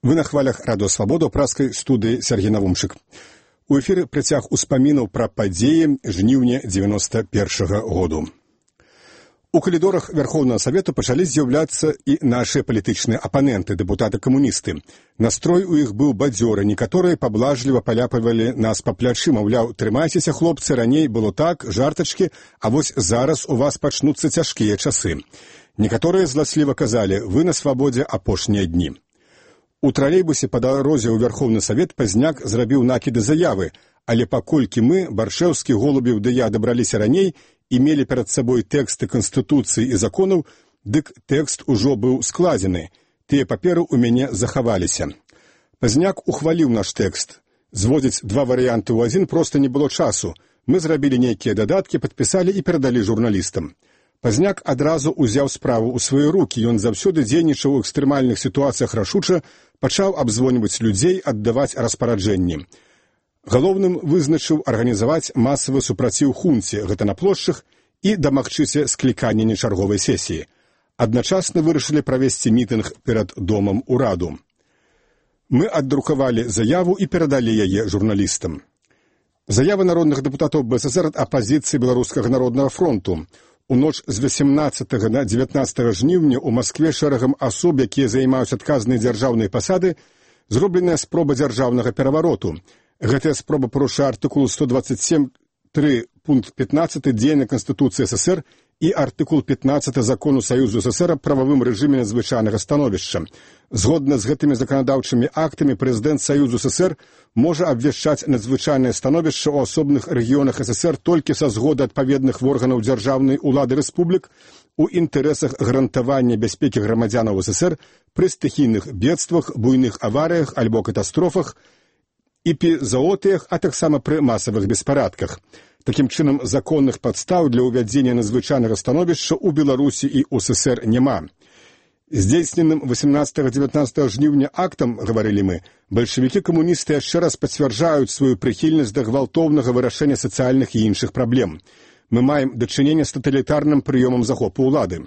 Вы на хвалях Радио Свабода ў праскай студыі Сергей Навумчык. У эфіры працяг успамінаў пра падзеі жніўня 91-го году. У калідорах Верховнага Савету пачалі з'яўляцца і нашыя палітычныя апаненты, дэпутаты-камуністы. Настрой у іх быў бадзёры, некаторыя паблажліва паляпавалі нас па плячы, маўляў, трымайцеся, хлопцы, раней было так, жартачкі, а вось зараз у вас пачнуцца цяжкія часы. Некаторыя зласліва казалі, вы на свабодзе апошнія дні. У тралейбусе па дарозе ў Верховны Савет Пазняк зрабіў накіды заявы, але паколькі мы, Баршэўскі, Голубеў ды я дабраліся раней і мелі перад сабой тэксты Канстытуцыі і законаў, дык тэкст ужо быў складзены. Тыя паперы ў мяне захаваліся. Пазняк ухваліў наш тэкст. Зводзіць два варыянты ў адзін проста не было часу. Мы зрабілі нейкія дадаткі, падпісалі і перадалі журналістам. Пазняк адразу ўзяў справу ў свае рукі. Ён заўсёды дзейнічаў у экстрэмальных сітуацыях рашуча, пачаў абзвоньваць людзей, аддаваць распараджэнні. Галоўным вызначыў арганізаваць масавы супраціў хунце, гэта на плошчах, і дамагчыся склікання нечарговай сесіі. Адначасна вырашылі правесці мітынг перад домам ураду. Мы аддрукавалі заяву і перадалі яе журналістам. Заява народных дэпутатаў БССР ад апазіцыі Беларускага народнага фронту. У ноч з 18 на 19 жніўня ў Маскве шэрагам асоб, якія займаюць адказныя дзяржаўныя пасады, зробленая спроба дзяржаўнага перавароту. Гэтая спроба парушае артыкул 127.3 пункт 15 дзеяння Канстытуцыі СССР і артыкул 15 Закону Саюзу СССР аб прававым рэжыме надзвычайнага становішча. Згодна з гэтымі заканадаўчымі актамі прэзідэнт Саюзу СССР можа абвяшчаць надзвычайнае становішча ў асобных рэгіёнах СССР толькі са згоды адпаведных органаў дзяржаўнай улады рэспублік у інтарэсах гарантавання бяспекі грамадзянаў СССР пры стыхійных бедствах, буйных аварыях альбо катастрофах, эпізоотыях, а таксама пры масавых беспарадках. Такім чынам, законных падстаў для ўвядзення надзвычайнага становішча ў Беларусі і ў СССР няма. Здзейсненым 18-19 жніўня актам, гаварылі мы, бальшавікі-камуністы яшчэ раз пацвярджаюць сваю прыхільнасць да гвалтоўнага вырашэння сацыяльных і іншых праблем. Мы маем дачыненне з таталітарным прыёмам захопу ўлады.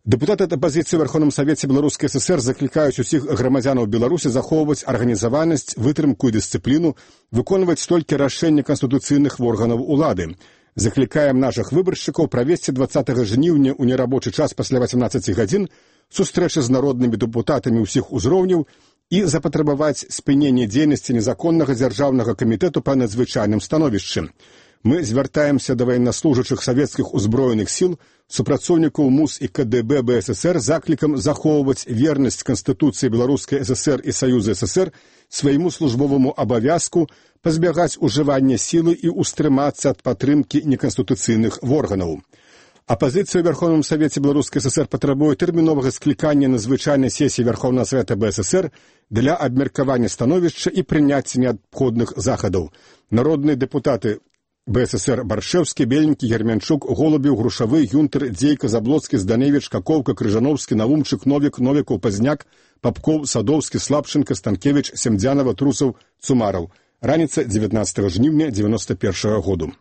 Дэпутаты ад апазіцыі ў Верховным Савеце Беларускай ССР заклікаюць усіх грамадзянаў Беларусі захоўваць арганізаванасць, вытрымку і дысцыпліну, выконваць толькі рашэнні канстытуцыйных органаў улады. Заклікаем нашых выбаршчыкаў правесці 20 жніўня ў нерабочы час пасля 18 гадзін сустрэчы з народнымі дэпутатамі ўсіх узроўняў і запатрабаваць спынення дзейнасці незаконнага дзяржаўнага камітэту па надзвычайным становішчы. Мы звяртаемся да ваеннаслужачых савецкіх узброеных сіл, супрацоўнікаў МУС і КДБ БССР заклікам захоўваць вернасць Канстытуцыі Беларускай ССР і Саюза ССР свайму службоваму абавязку, пазбягаць ужывання сілы і ўстрымацца ад падтрымкі неканстытуцыйных органаў. Апазіцыя ў Верховным Савеце Беларускай ССР патрабуе тэрміновага склікання надзвычайнай сесіі Верховнага Савета БССР для абмеркавання становішча і прыняцця неабходных захадаў. Народныя дэпутаты БССР Баршэўскі, Бельнікі, Герменчук, Голубеў, Грушавы, Юнтер, Дзейка, Заблоцкі, Зданевіч, Какоўка, Крыжановскі, Навумчык, Новік, Новікаў, Пазняк, Папкоў, Садоўскі, Слапченка, Станкевіч, Семдзянава, Трусаў, Цумараў. Раніца 19 жніўня 91 году.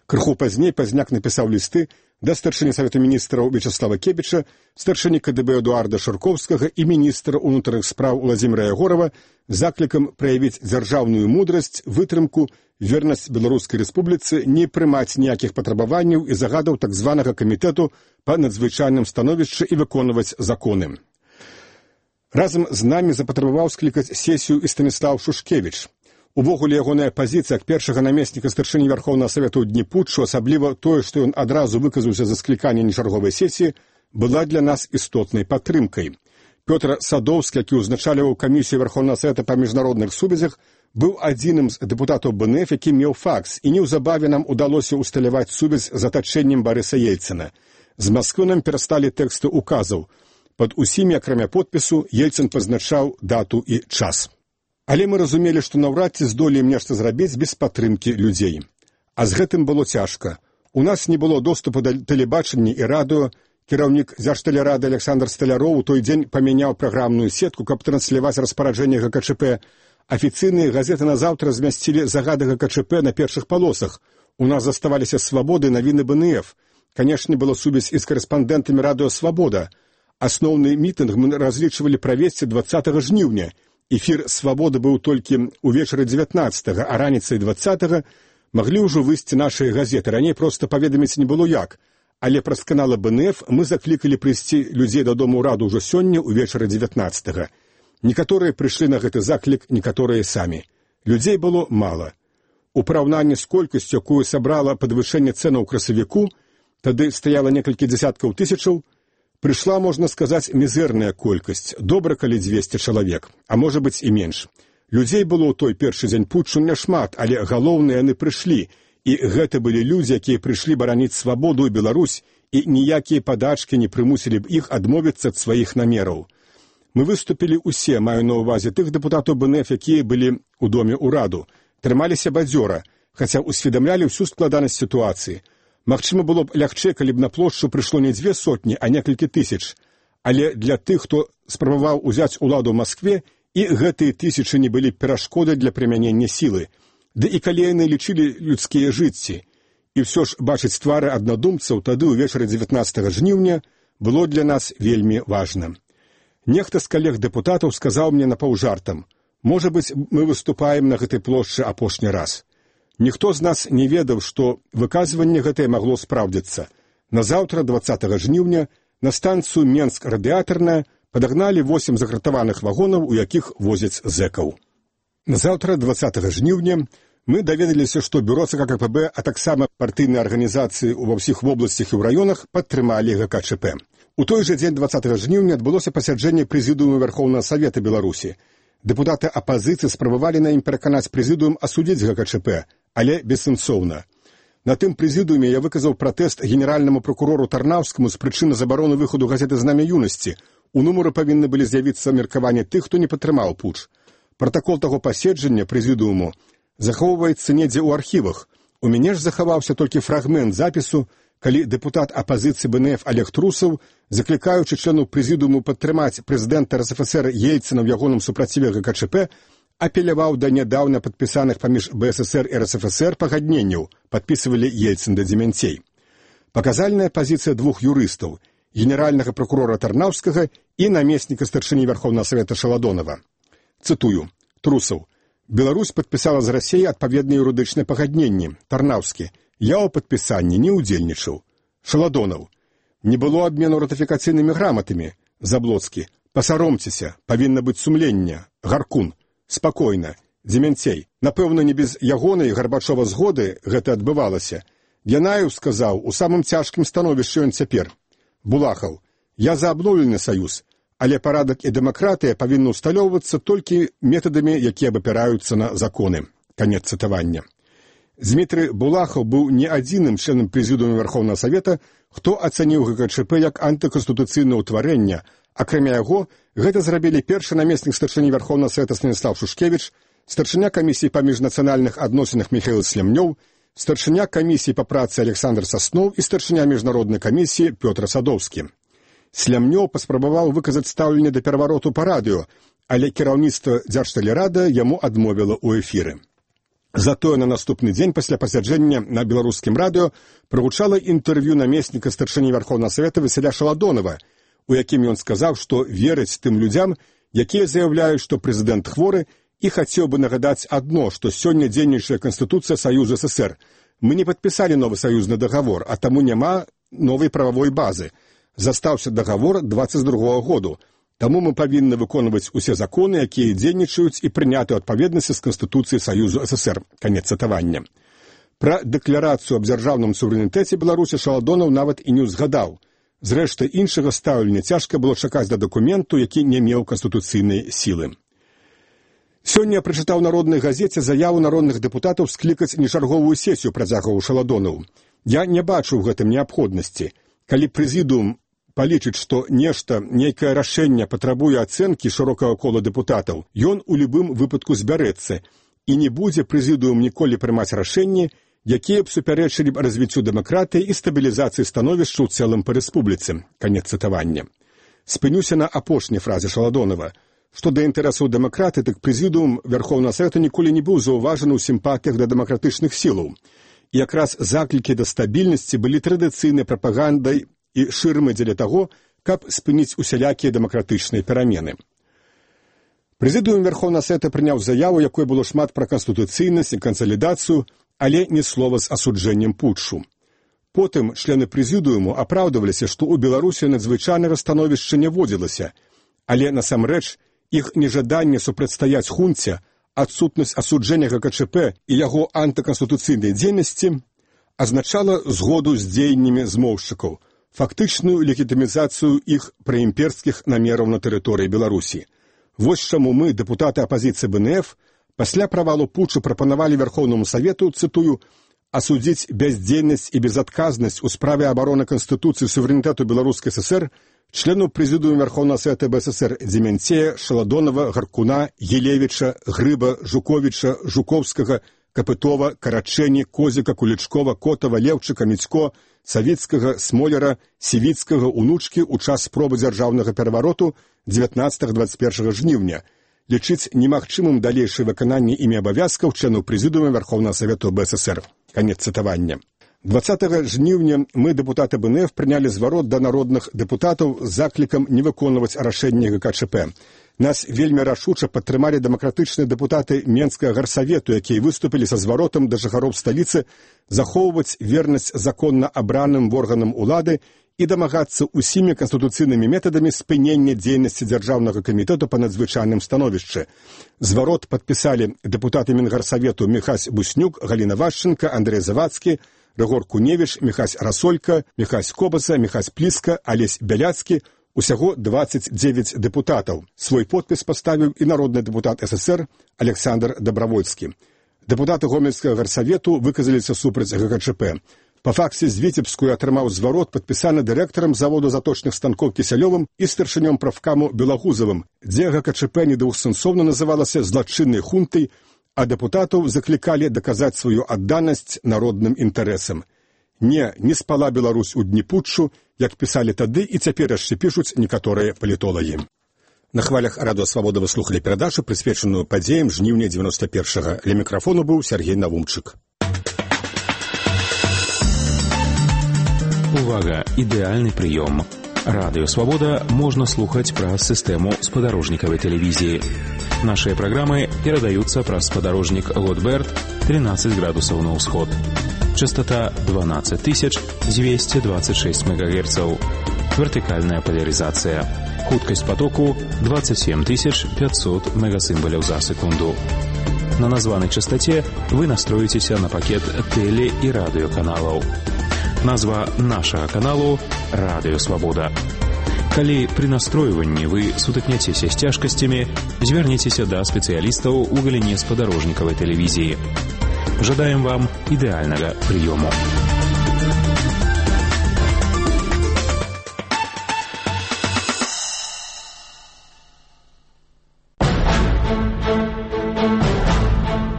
Крыху пазней Пазняк напісаў лісты да старшыні Савета міністраў Вячаслава Кебіча, старшыні КДБ Эдуарда Шарковскага і міністра ўнутраных спраў Уладзіміра Ягорава заклікам праявіць дзяржаўную мудрасць, вытрымку, вернасць Беларускай Рэспубліцы, не прымаць ніякіх патрабаванняў і загадаў так званага камітэту па надзвычайным становішчы і выконваць законы. Разам з намі запатрабаваў склікаць сесію і Станіслаў Шушкевіч. Увогуле ягоная пазіцыя як першага намесніка старшыні Верховнага Савета ў дні путчу, асабліва тое, што ён адразу выказаўся за скліканне нечарговай сесіі, была для нас істотнай падтрымкай. Пётр Садоўскі, які ўзначальваў камісію Верховнага Савета па міжнародных сувязях, быў адзіным з дэпутатаў БНФ, які меў факс, і неўзабаве нам удалося ўсталяваць сувязь з атачэннем Барыса Ельцына. З Масквы нам перасталі тэксты указаў. Пад усімі, акрамя подпісу, Ельцын пазначаў дату і час. Але мы разумелі, што наўрад ці здолеем нешта зрабіць без падтрымкі людзей. А з гэтым было цяжка. У нас не было доступу да тэлебачання і радыё. Кіраўнік Дзяржтэлерады Александр Сталяроў у той дзень памяняў праграмную сетку, каб трансляваць распараджэнне ГКЧП. Афіцыйныя газеты назаўтра змясцілі загады ГКЧП на першых палосах. У нас заставаліся «Свабоды» і навіны БНФ. Канешне, была сувязь і з карэспандэнтамі радыё «Свабода». Асноўны мітынг мы разлічвалі правесці 20 жніўня. Эфір «Свабоды» быў толькі ўвечары 19, а раніцай 20 маглі ўжо выйсці нашыя газеты. Раней проста паведаміць не было як. Але праз канал БНФ мы заклікалі прыйсці людзей дадому ўраду ўжо сёння ўвечары 19. Некаторыя прыйшлі на гэты заклік, некаторыя самі. Людзей было мала. У параўнанні з колькасцю, якую сабрала падвышэнне цэнаў у красавіку, тады стаяла некалькі дзесяткаў тысячаў, прыйшла, можна сказаць, мізэрная колькасць, добра, калі 200 чалавек, а можа быць і менш. Людзей было ў той першы дзень путчу няшмат, але галоўныя яны прыйшлі, і гэта былі людзі, якія прыйшлі бараніць свабоду і Беларусь, і ніякія падачкі не прымусілі б іх адмовіцца ад сваіх намераў. Мы выступілі ўсе, маю на ўвазе тых дэпутатаў БНФ, якія былі ў доме ўраду, трымаліся бадзёра, хаця усведамлялі ўсю складанасць сітуацыі. Магчыма, было б лягчэй, калі б на плошчу прыйшло не 2 сотні, а некалькі тысяч. Але для тых, хто спрабаваў узяць уладу ў Маскве, і гэтыя тысячы не былі перашкодай для прымянення сілы. Ды і калі яны лічылі людскія жыцці. І ўсё ж бачыць твары аднадумцаў тады ўвечары 19 жніўня было для нас вельмі важна. Нехта з калег-дэпутатаў сказаў мне напаўжартам: «Можа быць, мы выступаем на гэтай плошчы апошні раз». Ніхто з нас не ведаў, што выказванне гэтае магло спраўдзіцца. Назаўтра, 20 жніўня, на станцыю Менск-радыятарная падагналі 8 загратаваных вагонаў, у якіх возяць зэкаў. Назаўтра, 20 жніўня, мы даведаліся, што бюро ЦК КПБ, а таксама партыйныя арганізацыі ва ўсіх вобласцях і ў раёнах падтрымалі ГКЧП. У той жа дзень 20 жніўня адбылося пасяджэнне прэзідыума Верхоўнага Савета Беларусі. Дэпутаты апазіцыі спрабавалі на ім пераканаць прэзідыум асудзіць ГКЧП, але бессэнсоўна. На тым прэзідыуме я выказаў пратэст генеральнаму пракурору Тарнаўскаму з прычыны забароны выхаду газеты «Знамя юнасці». У нумары павінны былі з'явіцца меркаванні тых, хто не падтрымаў путч. Пратакол таго паседжання прэзідыуму захоўваецца недзе ў архівах. У мяне ж захаваўся толькі фрагмент запісу, калі дэпутат апазіцыі БНФ Олег Трусаў, заклікаючы членаў прэзідыуму падтрымаць прэзідэнта РСФСР Ельцына ў ягоным супраціве ГКЧП, апеляваў да нядаўна падпісаных паміж БССР і РСФСР пагадненняў, падпісывалі Ельцын да дземянцей. Паказальная пазіцыя двух юрыстаў, генеральнага пракурора Тарнаўскага і намесніка старшыні Верхоўнага Савета Шаладонова. Цытую. Трусаў. Беларусь падпісала з Расіяй адпаведныя юрыдычныя пагадненні. Тарнаўскі. Я ў падпісанні не ўдзельнічаў. Шаладонаў. Не было абмену ратыфікацыйнымі граматамі. Заблоцкі. Пасаромцеся, павінна быць сумленне. Гаркун. Спакойна. Дземянцей. Напэўна, не без ягонай Гарбачова згоды гэта адбывалася. Янаеў сказаў, у самым цяжкім становішчы ён цяпер. Булахаў. Я за абноўлены саюз, але парадак і дэмакратыя павінны ўсталёўвацца толькі метадамі, якія абапіраюцца на законы. Канец цытавання. Змітрый Булахаў быў не адзіным членам прэзідыума Верхоўнага Савета, хто ацаніў ГКЧП як антыканстытуцыйнае ўтварэнне. Акрамя яго, гэта зрабілі першы намеснік старшыні Верхоўнага Савета Станіслав Шушкевіч, старшыня камісіі па міжнацыянальных адносінах Міхаіл Слямнёў, старшыня камісіі па працы Александр Сасноў і старшыня міжнароднай камісіі Пётр Садоўскі. Слямнёў паспрабаваў выказаць стаўленне да перавароту па радыё, але кіраўніцтва Дзяржтэлерада яму адмовіла ў эфіры. Затое на наступны дзень пасля пасяджэння на беларускім радыё прагучала інтэрв'ю намесніка старшыні Верхоўнага Савета Васіля Шаладонова, у якім ён сказаў, што верыць тым людзям, якія заяўляюць, што прэзідэнт хворы, і хацеў бы нагадаць адно, што сёння дзейнічае Канстытуцыя Саюза СССР. Мы не падпісалі новы саюзны дагавор, а таму няма новай прававой базы. Застаўся дагавор 22 году. Таму мы павінны выконваць усе законы, якія дзейнічаюць і прыняты ў адпаведнасці з Канстытуцыяй Саюзу СССР. Канец цытавання. Пра дэкларацыю аб дзяржаўным суверэнітэце Беларусі Шаладонаў нават і не ўзгадаў. Зрэшты, іншага стаўлення цяжка было чакаць да дакументу, які не меў канстытуцыйнай сілы. Сёння я прачытаў народнай газеце заяву народных дэпутатаў склікаць нечарговую сесію, працягваў Шаладонаў. Я не бачу ў гэтым неабходнасці. Калі прэзідыум палічыць, што нешта, нейкае рашэнне патрабуе ацэнкі шырокага кола дэпутатаў, ён у любым выпадку збярэцца, і не будзе прэзідыум ніколі прымаць рашэнні, якія б супярэчылі б развіццю дэмакратыі і стабілізацыі становішча ў цэлым па рэспубліцы. Канец цытавання. Спынюся на апошняй фразе Шаладонова. Што да інтарэсаў дэмакраты, так прэзідыум Верхоўнага Савета ніколі не быў заўважаны ў сімпатыях да дэмакратычных сілаў. І якраз заклікі да стабільнасці былі традыцыйнай прапагандай і шырмы дзеля таго, каб спыніць усялякія дэмакратычныя перамены. Прэзідыум Верхоўнага Савета прыняў заяву, якой было шмат пра канстытуцыйнасць і кансалідацыю, але ні слова з асуджэннем путчу. Потым члены прэзідыуму апраўдваліся, што ў Беларусі надзвычайнага становішча не водзілася, але насамрэч іх нежаданне супрацьстаяць хунце, адсутнасць асуджэння ГКЧП і яго антыканстытуцыйнай дзейнасці азначала згоду з дзеяннямі змоўшчыкаў, фактычную легітымізацыю іх праімперскіх намераў на тэрыторыі Беларусі. Вось чаму мы, дэпутаты апазіцыі БНФ, пасля правалу путчу прапанавалі Верхоўнаму Савету, цытую, асудзіць бяздзейнасць і безадказнасць у справе абароны Канстытуцыі суверэнітэту Беларускай ССР членаў прэзідыума Верхоўнага Савета БССР Дземянцея, Шаладонова, Гаркуна, Елевіча, Грыба, Жуковіча, Жуковскага, Капытова, Карачэні, Козіка, Кулічкова, Котава, Леўчыка, Міцько, Савіцкага, Смоляра, Сівіцкага, Унучкі ў час спробы дзяржаўнага перавароту 19-21 жніўня, лічыць немагчымым далейшае выкананне імі абавязкаў членаў прэзідыума Верхоўнага Савету БССР. Канец цытавання. 20 жніўня мы, дэпутаты БНФ, прынялі зварот да народных дэпутатаў з заклікам не выконваць рашэнне ГКЧП. Нас вельмі рашуча падтрымалі дэмакратычныя дэпутаты Менскага гарсавету, якія выступілі са зваротам да жыхароў сталіцы захоўваць вернасць законна абраным органам улады і дамагацца ўсімі канстытуцыйнымі метадамі спынення дзейнасці Дзяржаўнага камітэту па надзвычайным становішчы. Зварот падпісалі дэпутаты Менгарсавету Міхась Буснюк, Галіна Вашченка, Андрэй Завадскі, Рыгор Куневіч, Міхась Расолька, Міхась Кобаса, Міхась Пліска, Алесь Бяляцкі, усяго 29 дэпутатаў. Свой подпіс паставіў і народны дэпутат СССР Александр Дабравольскі. Дэпутаты Гомельскага гарсавету выказаліся супраць ГКЧП. Па факце з Віцебскую атрымаў зварот, падпісаны дырэктарам заводу заточных станкоў Кісялёвым і старшынём прафкаму Белагузавым, дзе ГКЧП недвухсэнсоўна называлася злачыннай хунтай, а дэпутатаў заклікалі даказаць сваю адданасць народным інтарэсам. Не спала Беларусь у дні путчу, як пісалі тады і цяпер яшчэ пішуць некаторыя палітолагі. На хвалях Радыё Свабода вы слухалі перадачу, прысвечаную падзеям жніўня 91-га. Ля мікрафону быў Сергей Навумчык. Увага! Ідэальны прыём. Радыё Свабода можна слухаць праз сістэму спадарожнікавай тэлевізіі. Нашыя праграмы перадаюцца праз спадарожнік Готберт 13 градусаў на ўсход. Частота 12226 МГц. Вертыкальная поляризация. Хуткость потоку 27500 мегасимволів за секунду. На названной частоте вы настроитесь на пакет теле- и радиоканалов. Назва нашего каналу «Радыё Свабода». Калі при настройванні вы сутыкняцеся з цяжкасцямі, звярніцеся да спецыялістаў у галіне спадарожнікавай тэлевізіі. Жадаем вам ідэальнага прыёму.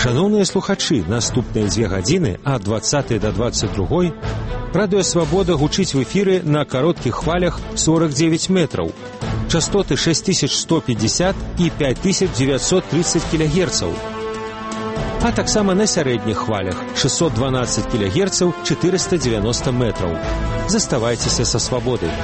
Шановныя слухачы, наступныя 2 гадзіны ад 20 до 22 Радыё Свабода гучыць в эфіры на кароткіх хвалях 49 метраў. Частоты 6150 і 5930 кГц. А таксама на сярэдніх хвалях 612 кГц 490 метраў. Заставайцеся са свабодай.